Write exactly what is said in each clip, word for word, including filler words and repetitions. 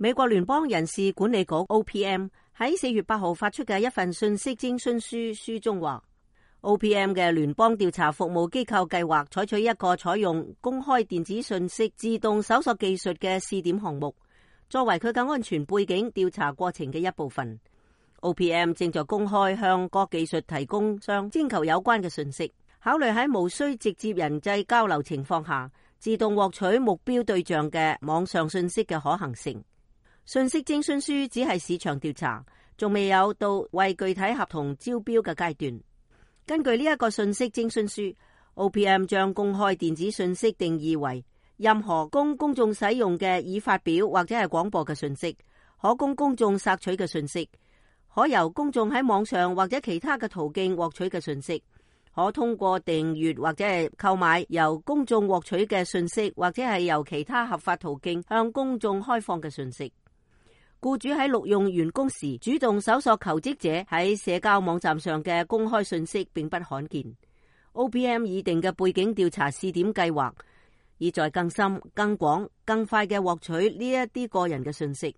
美國聯邦人事管理局 O P M 喺四月八號發出嘅一份信息徵詢書書中話， O P M 嘅聯邦調查服務機構計劃採取一個採用公開電子信息自動搜索技術嘅試點項目，作為佢嘅安全背景調查過程嘅一部分。O P M 正在公開向各技術提供商徵求有關嘅信息，考慮喺無需直接人際交流情況下，自動獲取目標對象嘅網上信息嘅可行性。信息徵詢書只係市場調查，仲未有到為具體合同招標嘅階段。根據呢一個信息徵詢書， O P M 將公開電子信息定義為任何供公眾使用嘅已發表或者係廣播嘅信息，可供公眾索取嘅信息，可由公眾喺網上或者其他嘅途徑獲取嘅信息，可通過訂閱或者係購買由公眾獲取嘅信息，或者係由其他合法途徑向公眾開放嘅信息。僱主喺錄用員工時主動搜索求職者喺社交網站上嘅公開信息並不罕見。O P M 擬定嘅背景調查試點計劃，意在更深、更廣、更快嘅獲取呢一啲個人嘅信息。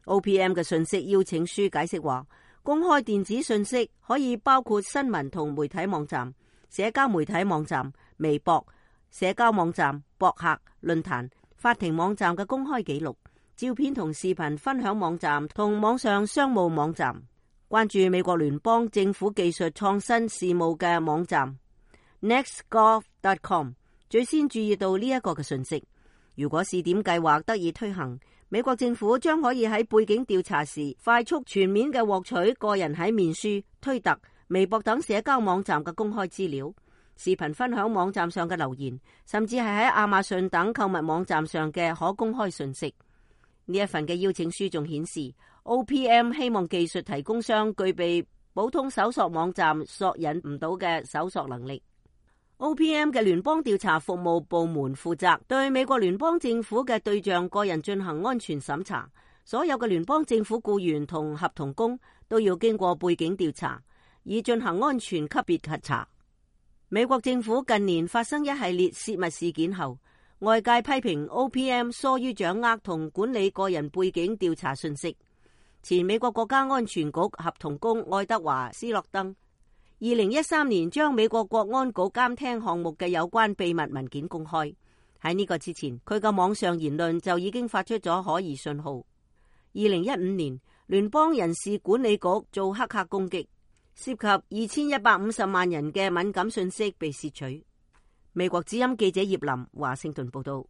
O P M 嘅信息邀請書解釋話，公開電子信息可以包括新聞同媒體網站、社交媒體網站、微博、社交網站、博客、論壇、法庭網站嘅公開記錄、照片同視頻分享網站同網上商務網站。關注美國聯邦政府技術創新事務嘅網站 next gov dot com 最先注意到呢一個嘅信息。如果試點計劃得以推行，美國政府將可以喺背景調查時快速全面嘅獲取個人喺面書、推特、微博等社交網站嘅公開資料、視頻分享網站上嘅留言，甚至係喺亞馬遜等購物網站上嘅可公開信息。呢一份嘅邀請書仲顯示 O P M 希望技術提供商具備普通搜索網站索引唔到嘅搜索能力。O P M 嘅聯邦調查服務部門負責對美國聯邦政府嘅對象個人進行安全審查，所有嘅聯邦政府僱員同合同工都要經過背景調查，以進行安全級別核查。美國政府近年發生一系列泄密事件後，外界批評 O P M 疏於掌握同管理個人背景調查信息。前美國國家安全局合同工愛德華斯諾登二零一三年將美國國安局監聽項目嘅有關秘密文件公開。喺呢個之前，佢嘅網上言論就已經發出咗可疑信號。二零一五年，聯邦人事管理局做黑客攻擊，涉及二千一百五十萬人嘅敏感信息被竊取。美國之音記者葉林華盛頓報道。